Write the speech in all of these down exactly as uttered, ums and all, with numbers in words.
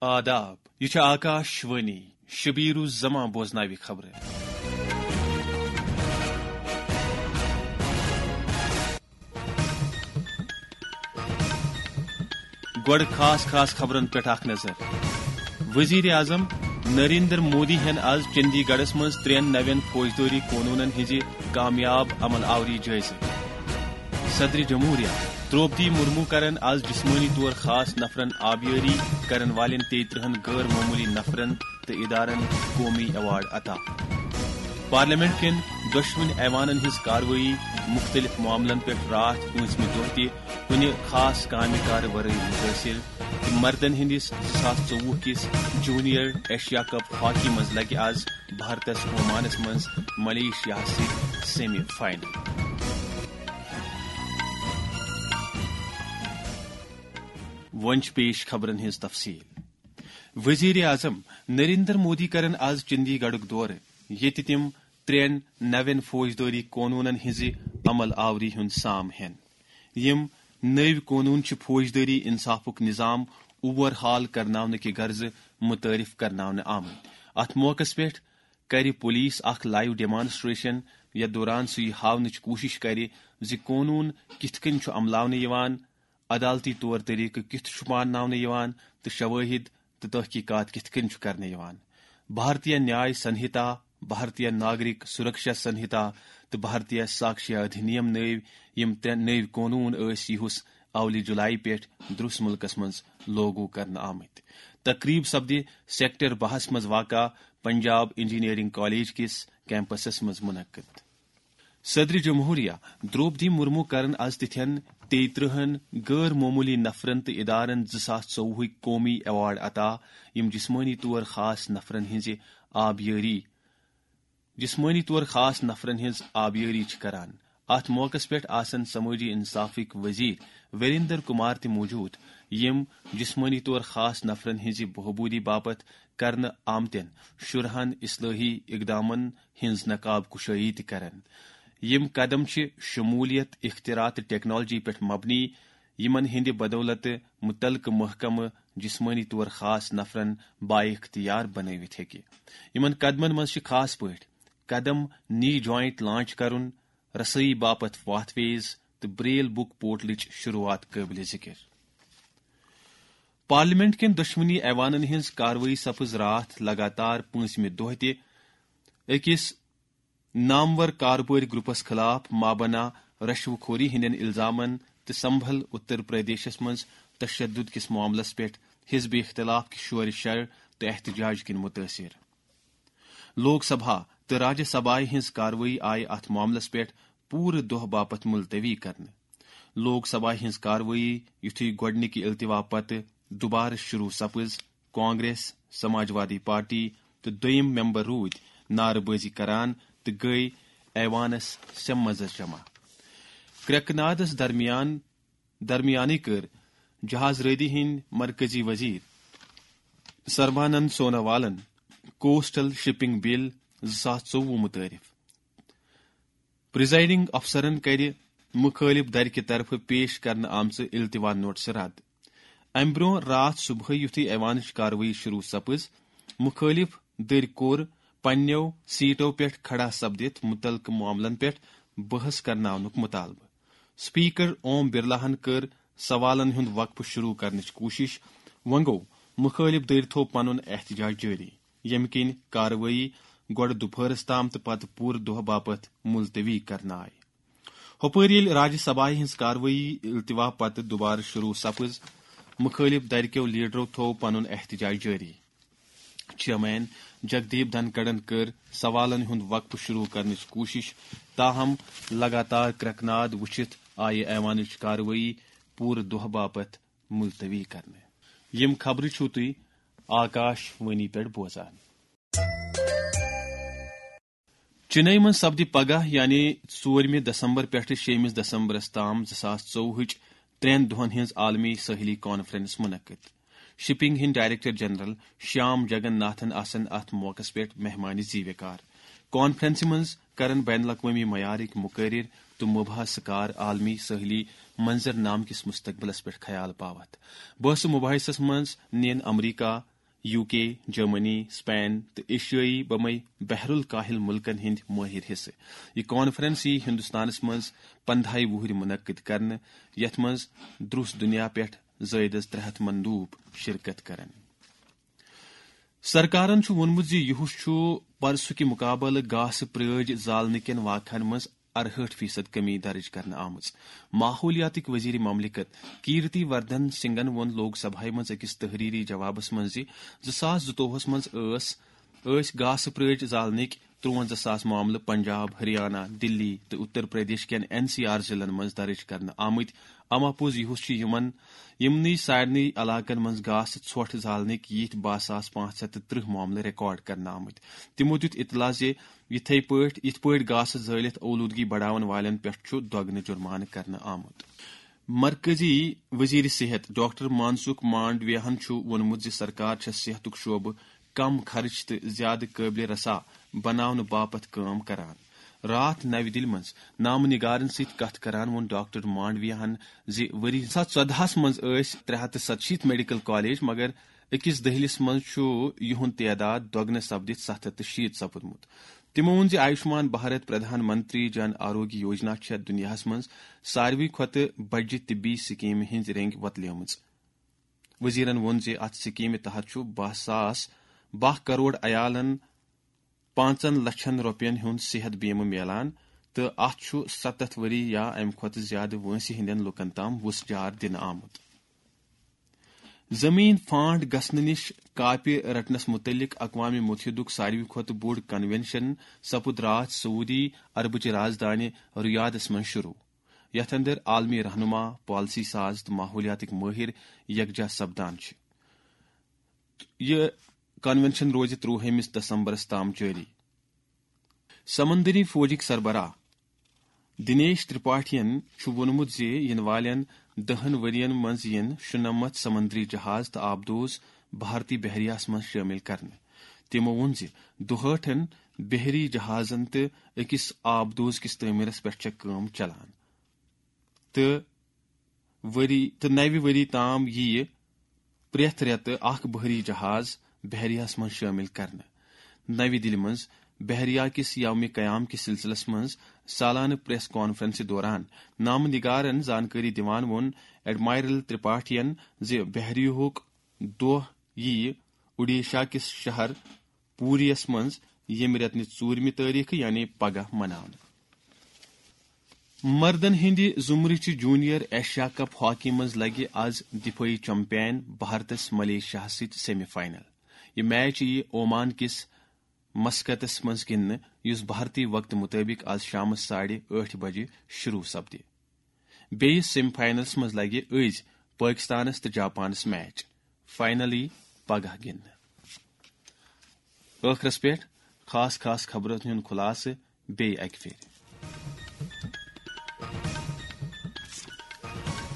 آداب، یہِ چھِ آکاش وانی۔ شبیر الزمان بوزناوِ خبرٕ۔ گۄڈٕ خاص خاص خبرن پٮ۪ٹھ اکھ نظر۔ وزیر اعظم نریندر مودی ہن آز چندی گڑھس منٛز ترٛٮ۪ن نوٮ۪ن فوجدٲری قونوٗنن ہٕنٛزِ کامیاب عمل آوری جٲیزٕ۔ صدر جمہوریہ درٛوپدی مرمو کرن آز جسمٲنی طور خاص نفرن آبیٲری کرن والٮ۪ن تیٚیہِ ترٕٛہن غٲر معموٗلی نفرن تہٕ ادارن قومی ایوارڈ عطا۔ پارلیمنٹ کٮ۪ن دۄشوٕنۍ ایوانن ہٕنٛز کاروٲیی مُختٔلِف معاملن پٮ۪ٹھ راتھ پٲنٛژمہِ دۄہ تہِ کُنہِ خاص کامہِ کارٕ ورٲے مُتٲثِر تہٕ مردن ہٕنٛدِس زٕ ساس ژوٚوُہ کِس جونیئر ایشیا کپ ہاکی منٛز لگہِ آز بھارتس عومانس منٛز ملیشیاہس سۭتۍ سیمی فائنل۔ وۄنۍ چھِ پیش خبرن ہٕنٛز تفصیل۔ وزیر اعظم نریندر مودی کرن آز چندی گڑھُک دورٕ، ییٚتہِ تِم ترٛٮ۪ن نوٮ۪ن فوجدٲری قونوٗنن ہٕنٛزِ عمل آوری ہُنٛد سام ہٮ۪ن۔ یِم نٔوۍ قونوٗن چھِ فوجدٲری انصافُک نظام اوور ہال کرناونہٕ کہِ غرضہٕ متعارف کرناونہٕ آمٕتۍ۔ اتھ موقعس پٮ۪ٹھ کرِ پولیس اکھ لائیو ڈیمانسٹریشن، یتھ دوران سُہ یہِ ہاونٕچ کوٗشش کرِ زِ قونوٗن کِتھ کٔنۍ چھُ عملاونہٕ یِوان، عدالتی طور طریقہٕ کِتھ چھُ مانناونہٕ یِوان تہٕ شوٲہِد تہٕ تحقیقات کِتھ کٔنۍ چھُ کرنہٕ یِوان۔ بھارتیہ نیاے سنہتا، بھارتیہ ناگرک سرکشا سنہتا تہٕ بھارتیہ ساکشیا ادھینیم نٲوۍ یِم ترٛےٚ نٔوۍ قونوٗن ٲسۍ یِہُس اولہِ جولائی پٮ۪ٹھ درس مُلکس منٛز لاگو کرنہٕ آمٕتۍ۔ تقریب سپدِ سیکٹر بہس منٛز واقع پنجاب انجینئرنگ کالج کِس کیمپسس منٛز منعقد۔ صدر جمہوریہ درٛوپدی مرمو کرن از تِتھٮ۪ن تیٚیہِ ترٕٛہن غٲر معموٗلی نفرن تہٕ ادارن زٕ ساس ژوٚوُہٕکۍ قومی ایوارڈ عطا، یِم جسمٲنی طور خاص نفرن ہٕنٛزِ آبیٲری، جسمٲنی طور خاص نفرن ہٕنٛز آبیٲری چھِ کران۔ اتھ موقعس پٮ۪ٹھ آسن سمٲجی انصافٕکۍ وزیر وریندر کمار تہِ موجود، یِم جسمٲنی طور خاص نفرن ہٕنٛزِ بہبودی باپتھ کرنہٕ آمتٮ۪ن شُرہن اصلٲحی اقدامن ہٕنٛز نقاب کشٲیی تہِ کرن۔ یِم قدم چھِ شمولیت، اختراع تہٕ ٹیکنالوجی پٮ۪ٹھ مبنی، یِمن ہٕنٛدِ بدولتہٕ متعلقہٕ محکمہٕ جسمٲنی طور خاص نفرن بااختیار بنٲوِتھ ہیٚکہِ۔ یِمن قدمن منٛز چھِ خاص پٲٹھۍ قدم نی جوائنٹ لانچ کرُن، رسٲیی باپتھ پاتھ ویز تہٕ بریل بک پورٹلٕچ شروعات قٲبلِ ذکر۔ پارلیمنٹ کٮ۪ن دۄشوٕنی ایوانن ہٕنٛز کاروٲیی سپٕز راتھ لگاتار پٲنٛژمہِ دۄہ تہِ أکِس نامور کاربٲرۍ گروپس خلاف مابنا رشوٕ خوری ہٕنٛدٮ۪ن الزامن تہٕ سمبھل اتر پردیشس منٛز تشدد کِس معاملس پٮ۪ٹھ حزب اختلاف کہِ شورِ شر تہٕ احتجاج کِنۍ متٲثر۔ لوک سبھا تہٕ راجیہ سبھایہ ہٕنٛز کاروٲیی آیہِ اتھ معاملس پٮ۪ٹھ پوٗرٕ دۄہ باپتھ ملتوی کرنہٕ۔ لوک سبھایہ ہٕنٛز کاروٲیی یُتھُے گۄڈٕنِکہِ التوا پتہٕ دوبارٕ شروع سپٕز، کانگریس، سماجوادی پارٹی تہٕ دوٚیِم ممبر روٗدۍ نعرٕ بٲزی کران تہٕ گٔیۍ ایوانس سیمنزس جمع۔ کرٛٮ۪کہٕ نادس درمیان، درمیانٕے کٔر جہاز رٲدی ہٕنٛدۍ مرکزی وزیر سربانند سونوالن کوسٹل شپنگ بل زٕ ساس ژوٚوُہ متعارف۔ پریزائیڈنگ افسرن کرِ مخالف دھرِ کہِ طرفہٕ پیش کرنہٕ آمژٕ التوا نوٹسہٕ رد۔ امہِ برونٛہہ راتھ صبحٲے یُتھُے ایوانٕچ کاروٲیی شروع سپٕز، مخالف دٔرۍ کوٚر پننیو سیٹو پٮ۪ٹھ کھڑا سپدِتھ مُتعلقہٕ معاملن پٮ۪ٹھ بحث کرناونُک مطالبہٕ۔ اسپیکر اوم برلاہن کٔر سوالن ہُنٛد وقفہٕ شروع کرنٕچ کوٗشش۔ وۄنۍ گوٚو مخالف دٔرۍ تھوو پنُن احتجاج جٲری، ییٚمہِ کِنۍ کاروٲیی گۄڈٕ دُپہرس تام تہٕ پتہٕ پوٗرٕ دۄہ باپتھ ملتوی کرنہٕ آیہِ۔ ہُپٲرۍ ییٚلہِ راجیہ سبھایہ ہٕنٛز کاروٲیی التوا پتہٕ دوبارٕ شروع سپٕز، مخالف دھرِ کیو لیڈرو تھوو پنُن احتجاج جٲری۔ چیئرمین جگدیپ دھنکڑن کٔر سوالن ہُنٛد وقفہٕ شروع کرنٕچ کوٗشش، تاہم لگاتار کرٛٮ۪کہٕ ناد وُچھِتھ آیہِ ایوانٕچ کاروٲیی پوٗرٕ دۄہ باپتھ ملتوی کرنہٕ۔ یِم خبرٕ چھِو تُہۍ آکاش وانی پٮ۪ٹھ بوزان۔ چنئی منٛز سپدِ پگاہ یعنی ژوٗرمہِ دسمبر پٮ۪ٹھٕ شیٚیمِس دسمبرس تام زٕ ساس ژوٚوُہٕچ ترٛٮ۪ن دۄہن ہٕنٛز عالمی سٲحلی کانفرنس منعقد۔ شپنگ ہٕنٛدۍ ڈائریکٹر جنرل شیام جگن ناتھن آسن اتھ موقعس پٮ۪ٹھ مہمان زیوِ کار۔ کانفرنسہِ منٛز کرن بین الاقوٲمی معیارٕکۍ مقرر تہٕ مبحث کار عالمی سٲحلی منظرنامہٕ کِس مستقبلس پٮ۪ٹھ خیال باوتھ۔ بحث و مباحثس منٛز نِن امریکہ، یو کے، جرمنی، سپین تہٕ ایشیٲیی بمے بحر الکاہل ملکن ہٕنٛدۍ مٲہر حصہٕ۔ یہِ کانفرنس یی ہندوستانس منٛز پندہاے وُہرۍ منعقد کرنہٕ، یتھ منٛز درُس دنیا پٮ۪ٹھ زٲیدس ترٛےٚ ہتھ مندوب شرکت کرن۔ سرکارن چھُ ووٚنمُت زِ یُہُس چھُ پرسُکہِ مقابلہٕ گاسہٕ پرٲج زالنہٕ کٮ۪ن واقعن منٛز ارہٲٹھ فیصد کمی درج کرنہٕ آمٕژ۔ ماحولیاتٕکۍ وزیر مملکت کیرتی وردھن سنگھن ووٚن لوک سبھایہ منٛز أکِس تحریری جوابس منٛز زِ زٕ ساس زٕتووُہس منٛز ٲس، ٲسۍ گاسہٕ پرٲج زالنٕکۍ ترٛوَنزاہ ساس معاملہٕ پنجاب، ہریانہ، دلی تہٕ اتر پردیش کٮ۪ن این سی آر ضلعن منٛز درج کرنہٕ آمٕتۍ۔ اما پوٚز یُہُس چھُ یِمن، یِمنٕے سارنٕے علاقن منٛز گاسہٕ ژھۄٹھ زالنٕکۍ یِتھۍ باہ ساس پانٛژھ ہتھ تہٕ ترٕٛہ معاملہٕ ریکارڈ کرنہٕ آمٕتۍ۔ تِمو دیُت اطلاع زِ یِتھے پٲٹھۍ، یِتھ پٲٹھۍ گاسہٕ زٲلِتھ اولوٗدگی بڑاون والٮ۪ن پٮ۪ٹھ چھُ دۄگنہٕ جُرمانہٕ کرنہٕ آمُت۔ مرکزی وزیر صحت ڈاکٹر مانسکھ مانڈویاہن چھُ ووٚنمُت زِ سرکار چھےٚ صحتُک شعبہٕ کم خرچ تہٕ زیادٕ قٲبلِ رسا بناونہٕ باپتھ کٲم کران۔ راتھ نَوِ دِلہِ منٛز نامہٕ نگارن سۭتۍ کتھ کران ووٚن ڈاکٹر مانڈویاہن زِ ؤری زٕ ساس ژۄدہَس منٛز ٲسۍ ترٛےٚ ہتھ تہٕ ستشیٖتھ میڈیکل کالج، مگر أکِس دٔہلِس منٛز چھُ یِہُنٛد تعداد دۄگنہٕ سپدِتھ ستھ ہتھ تہٕ شیٖتھ سپُدمُت۔ تِمو ووٚن زِ آیوشمان بھارت پردھان منتری جن آروگیہ یوجنا چھےٚ دُنیاہَس منٛز ساروٕے کھۄتہٕ بجہِ طبی سکیمہِ ہٕنٛز رینگ وۄتلیمٕژ۔ وزیرن ووٚن زِ اتھ سکیمہِ تحت چھُ باہ ساس، باہ کرور عیالن پانٛژن لچھن رۄپین ہُنٛد صحت بیمہٕ میلان تہٕ اتھ چھُ ستتھ ؤری یا امہِ کھۄتہٕ زیادٕ وٲنٛسہِ ہٕنٛدٮ۪ن لوٗکن تام وُژھ جار دِنہٕ آمُت۔ زمین فانڈ گژھنہٕ نِش کاپہِ رٹنس متعلق اقوام متحدُک ساروی کھۄتہٕ بوٚڑ کنونشن سپُد راتھ سعودی عربٕچہِ رازدانہِ ریاضس منٛز شروع، یتھ اندر عالمی رہنما، پالیسی ساز تہٕ ماحولیاتٕکۍ مٲہر یکجا سپدان چھِ۔ یہِ کنونشن روزِ ترٛوہمِس دسمبرس تام جٲری۔ سمندری فوجٕکۍ سربراہ دنیش ترپاٹھین چھُ ووٚنمُت زِ یِنہٕ والٮ۪ن دَہن ؤرین منٛز یِن شُنَمَتھ سمندری جہاز تہٕ آبدوز بھارتی بحریہس منٛز شٲمِل کرنہٕ۔ تِمو ووٚن زِ دُہٲٹھن بحری جہازن تہٕ أکِس آبدوز کِس تعمیرس پٮ۪ٹھ چھےٚ کٲم چلان تہٕ ؤری، تہٕ نَوِ ؤری تام یِیہِ پرٛٮ۪تھ رٮ۪تہٕ اکھ بحری جہاز بحریہس منٛز شٲمِل کرنہٕ۔ نَوِ دِلہِ منٛز بحریہ کِس یومِ قیام کِس سلسلس منٛز سالانہٕ پریس کانفرنسہِ دوران نامہٕ نگارن زانکٲری دِوان ووٚن ایڈمائرل ترپاٹھین زِ بحریہُک دۄہ یِیہِ اوڈیشا کِس شہر پوریَس منٛز ییٚمہِ رٮ۪تہٕ نہِ ژوٗرمہِ تٲریخہٕ، یعنی پگاہ، مناونہٕ۔ مردن ہٕنٛدِ زمرٕچہِ جونیئر ایشیا کپ ہاکی منٛز لگہِ از دفٲعی چمپین بھارتس ملیشیاہس سۭتۍ سیمی فائنل۔ یہِ میچ یِیہِ اومان کِس مسقطس منٛز گِنٛدنہٕ، یُس بھارتی وقتہٕ مُطٲبِق از شامس ساڑِ ٲٹھِ بجہِ شروع سپدِ۔ بیٚیِس سیمی فائنلس منٛز لگہِ أزۍ پٲکستانس تہٕ جاپانس میچ۔ فائنل یِیہِ پگاہ گِنٛدنہٕ۔ ٲخرس پٮ۪ٹھ خاص خاص خبرن ہُنٛد خُلاصہٕ بیٚیہِ اکہِ پھِرِ۔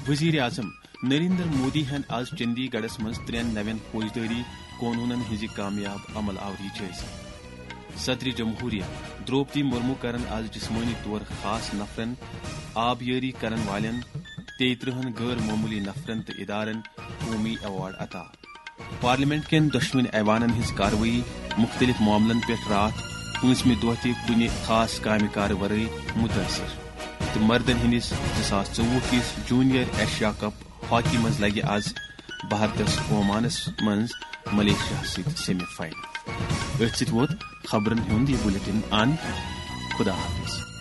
وزیر اعظم نریندر مودی ہن آز چندی گڑھس منٛز ترٛٮ۪ن نوٮ۪ن فوجدٲری قونوٗنن ہٕنٛزِ کامیاب عمل آوری جٲیزٕ۔ صدر جمہوریہ دروپدی مرمو کرن آز جسمٲنی طور خاص نفرن، آبیٲری کرن والٮ۪ن، تیٚیہِ ترٕٛہن غٲر معموٗلی نفرن تہٕ ادارن قومی ایوارڈ عطا۔ پارلیمنٹ کٮ۪ن دۄشوٕنی ایوانن ہٕنٛز کاروٲیی مُختٔلِف معاملن پٮ۪ٹھ راتھ پٲنٛژمہِ دۄہ تہِ کُنہِ خاص کامہِ کارٕ ورٲے مُتٲثِر۔ تہٕ مردن ہٕنٛدِس زٕ ساس ژوٚوُہ کِس جونیئر ایشیا کپ ہاکی منٛز لگہِ از بھارتس اومانس منٛز ملیشیا سۭتۍ سیمی فائنل۔ أتھۍ سۭتۍ ووت خبرن ہُنٛد یہِ بُلیٹن اند۔ خدا حافظ۔